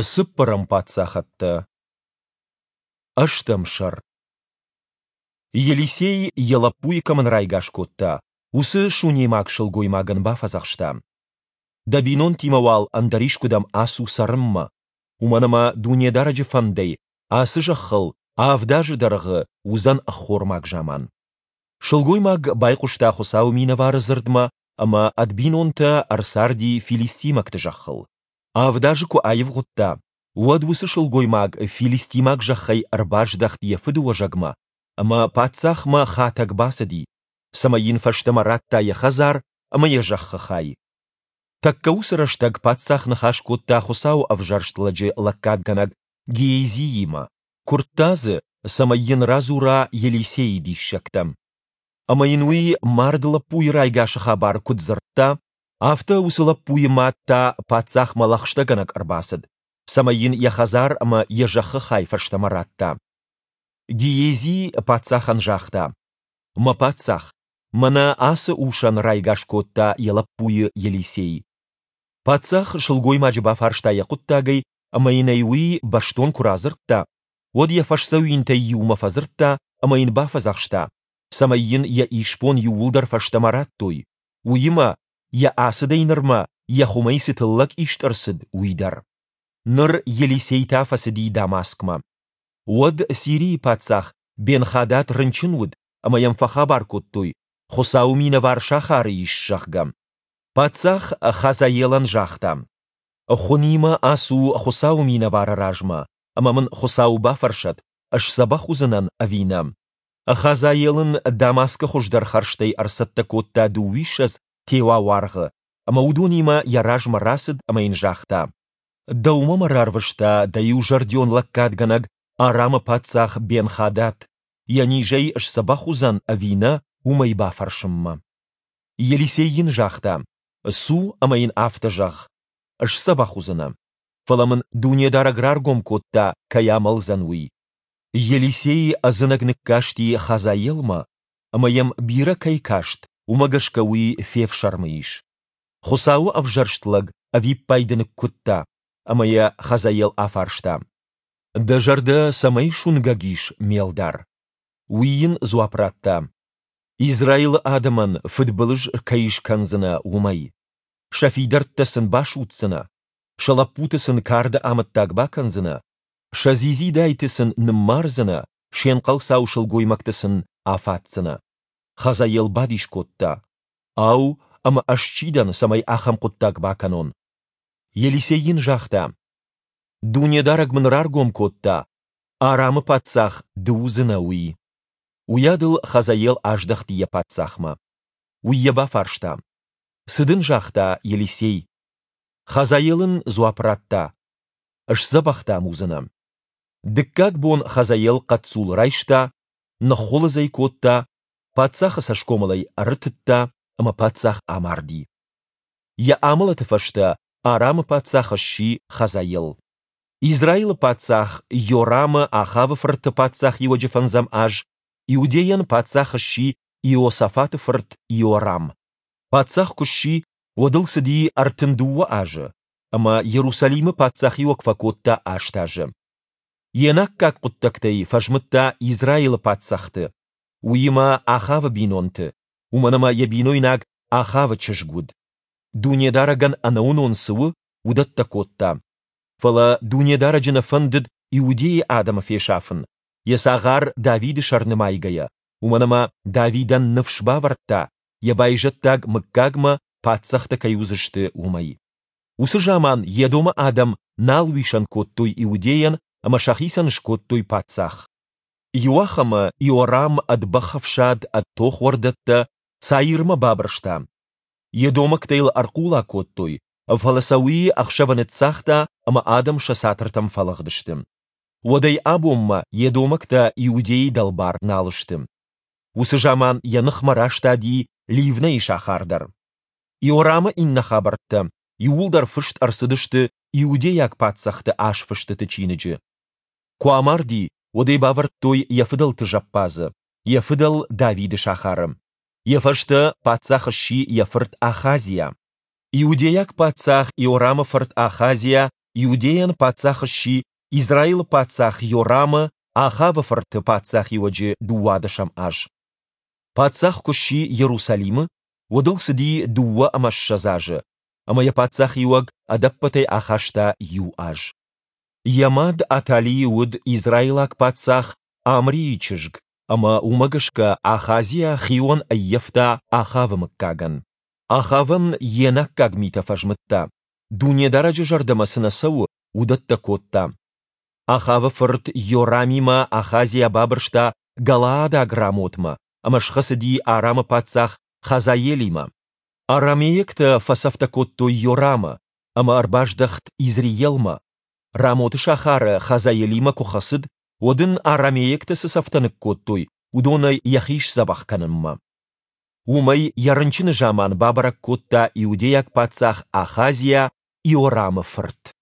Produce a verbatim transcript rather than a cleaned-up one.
Цыппӕрӕм паддзахӕдтӕ. Ӕстӕм сӕр. Елисей йӕ лӕппуйы кӕмӕн райгас кодта, уыцы сунемаг сылгоймагӕн бафӕдзӕхста: Дӕ бинонтимӕ уал ӕндӕр искуыдӕм ацу цӕрынмӕ, уымӕн ӕмӕ Дунедарӕджы фӕндӕй ацы зӕххыл авд азы дӕргъы уыдзӕн ӕххормаг заман. Сылгоймаг байхъуыста Хуыцауы минӕвары дзырдмӕ ӕмӕ ӕд бинонтӕ ӕрцарди филистимӕгты зӕххыл. Авд азы куы аивгъуыдта, уӕд уыцы сылгоймаг филистимаг зӕххӕй ӕрбаздӕхт йӕ фыдыуӕзӕгмӕ ӕмӕ паддзахмӕ хатӕг бацыди, цӕмӕй йын фӕстӕмӕ радта йӕ хӕдзар ӕмӕ йӕ зӕххы хай. Тӕккӕ уыцы рӕстӕг паддзах ныхас кодта Хуыцауы ӕвзӕрст лӕджы лӕггадгӕнӕг Гиезиимӕ, куырдта дзы, цӕмӕй йын радзура Елисейы диссӕгтӕ. Ӕмӕ йын уый мард лӕппуйы райгасы хабар куыд дзырдта, афтӕ уыцы лӕппуйы мад та паддзахмӕ лӕгъстӕгӕнӕг ӕрбацыд, цӕмӕй йын йӕ хӕдзар ӕмӕ йӕ зӕххы хай фӕстӕмӕ радта. Гиези паддзахӕн загъта: «Мӕ паддзах, мӕнӕ ацы усӕн райгас кодта йӕ лӕппуйы Елисей». Паддзах сылгоймаджы бафарста йӕ хъуыддагӕй ӕмӕ йын ӕй уый бӕстон куы радзырдта, уӕд йӕ фӕсдзӕуинтӕй иумӕ фӕдзырдта ӕмӕ йын бафӕдзӕхста, цӕмӕй йын йӕ исбон иууылдӕр фӕстӕмӕ радтой, уыимӕ, йӕ ацыдӕй нырмӕ йӕ хуымӕй цы тыллӕг ист ӕрцыд, уый дӕр. Ныр Елисей та фӕцыди Дамаскмӕ. Уӕд Сирийы паддзах Бен-Хадад рынчын уыд, ӕмӕ йӕм фӕхабар кодтой, Хуыцауы минӕвар сахары ис, зӕгъгӕ. Паддзах Хазаелӕн загъта: Хуынимӕ ацу Хуыцауы минӕвары размӕ, ӕмӕ мын Хуыцау бафӕрсӕд, сдзӕбӕх уыдзынӕн ӕви нӕ. Хазаел ын Дамаскы хуыздӕр хӕрзтӕй ӕрцӕттӕ кодта дыууиссӕдз теуа уаргъы, ӕмӕ уыдонимӕ йӕ размӕ рацыд ӕмӕ йын загъта: Дӕумӕ мӕ рарвыста дӕ иузӕрдион лӕггадгӕнӕг Арамы паддзах Бен-Хадад, йӕ низӕй сдзӕбӕх уыдзӕн ӕви нӕ, уымӕй бафӕрсынмӕ. Елисей йын загъта: Цу ӕмӕ йын афтӕ зӕгъ: Сдзӕбӕх уыдзынӕ. Фӕлӕ мын Дунедарӕг раргом кодта, кӕй амӕлдзӕн, уый. Елисей ӕдзынӕг ныккасти Хазаелмӕ, ӕмӕ йӕм бирӕ кӕй каст, уымӕ гӕсгӕ уый фефсӕрмы ис. Хуыцауы ӕвзӕрст лӕг ӕвиппайды ныккуыдта, ӕмӕ йӕ Хазаел афарста: Дӕ зӕрдӕ цӕмӕй суынгӕг ис, ме лдар? Уый йын дзуапп радта: Израилы адӕмӕн фыдбылыз кӕй скӕндзынӕ, уымӕй. Сӕ фидӕрттӕ сын басудздзынӕ, сӕ лӕппуты сын карды амӕттаг бакӕндзынӕ, сӕ дзидзидайты сын ныммардзынӕ, се нхъӕлцау сылгоймӕгты сын афаддзынӕ. Хазаел бадис кодта: Ау, ӕмӕ ӕз чи дӕн, цӕмӕй ахӕм хъуыддаг бакӕнон? Елисей йын загъта: Дунедарӕг мын раргом кодта, Арамы паддзах ды уыдзынӕ, уый. Уыйадыл Хазаел аздӕхти йӕ паддзахмӕ. Уый йӕ бафарста: Цы дын загъта Елисей? Хазаел ын дзуапп радта: Сдзӕбӕх дам уыдзынӕ. Дыккаг бон Хазаел хъӕццул райста, ныххуылыдз ӕй кодта, паддзахы цӕсгомыл ӕй ӕрытыдта, ӕмӕ паддзах амарди. Йӕ амӕлӕты фӕстӕ Арамы паддзах сси Хазаел. Израилы паддзах Йорамы Ахавы фырты паддзахиуӕджы фӕндзӕм аз Иудейӕн паддзах сси Иосафаты фырт Иорам. Паддзах куы сси, уӕд ыл цыди ӕртын дыууӕ азы, ӕмӕ Иерусалимы паддзахиуӕг фӕкодта аст азы. Йе наккаг хъуыддӕгтӕй фӕзмыдта Израилы паддзӕхты, уыимӕ Ахавы бинонты, уымӕн ӕмӕ йӕ бинойнаг Ахавы чызг уыд. Дунедарӕгӕн ӕнӕуынон цы у, уыдӕттӕ кодта. Фӕлӕ Дунедарӕджы нӕ фӕндыд Иудейы адӕмы фесафын, йӕ цагъар Давиды сӕр нымайгӕйӕ, уымӕн ӕмӕ Давидӕн ныфс бавӕрдта, йӕ байзӕддаг мыггагмӕ паддзӕхтӕ кӕй уыдзысты, уымӕй. Уыцы заман Едомы адӕм нал уисӕн кодтой Иудейӕн ӕмӕ сӕхицӕн скодтой паддзах. Иуахӕмы Иорам ӕд бӕхӕфсад, ӕд тохуӕрдӕттӕ Цаирмӕ бабырста. Едомӕгтӕ йыл ӕрхъула кодтой, фӕлӕ сӕ уый ӕхсӕвы ныццагъта ӕмӕ адӕм сӕ цатыртӕм фӕлыгъдысты. Уӕдӕй абонмӕ едомӕгтӕ Иудейы дӕлбар нал сты. Уыцы заман йӕ ныхмӕ растади Ливнӕйы сахар дӕр. Иорамы иннӕ хабӕрттӕ иууылдӕр фыст ӕрцыдысты иудейаг паддзӕхты азфыстыты чиныджы. Куы амарди, уӕд ӕй бавӕрдтой йӕ фыдӕлты зӕппадзы, йӕ фыдӕл Давиды сахары. Йӕ фӕстӕ паддзах сси йӕ фырт Ахазиа. Иудейаг паддзах Иорамы фырт Ахазиа Иудейӕн паддзах сси Израилы паддзах Йорамы, Ахавы фырты, паддзахиуӕджы дыууадӕсӕм аз. Паддзах куы сси Иерусалимы, уӕд ыл цыди дыууӕ ӕмӕ ссӕдз азы, ӕмӕ йӕ паддзахиуӕг ӕдӕппӕтӕй ахаста иу аз. Йӕ мад Атали уыд израилаг паддзах Амрийы чызг, ӕмӕ уымӕ гӕсгӕ Ахазиа хион ӕййӕфта Ахавы мыггагӕн. Ахавӕн йе наккаг митӕ фӕзмыдта, Дунедарӕджы зӕрдӕмӕ цы нӕ цӕуы, уыдӕттӕ кодта. Ахавы фырт Йорамимӕ Ахазиа бабырста галаадаг Рамотмӕ ӕмӕ схӕцыди Арамы паддзах Хазаелимӕ. Арамейӕгтӕ фӕцӕфтӕ кодтой Йорамы, ӕмӕ ӕрбаздӕхт Изреелмӕ. Рамоты сахары Хазаелимӕ куы хӕцыд, уӕд ын арамейӕгтӕ цы цӕфтӕ ныккодтой, уыдонӕй йӕхи сдзӕбӕх кӕнынмӕ. Уым ӕй йӕ рынчыны заман бабӕрӕг кодта иудейаг паддзах Ахазиа, Иорамы фырт.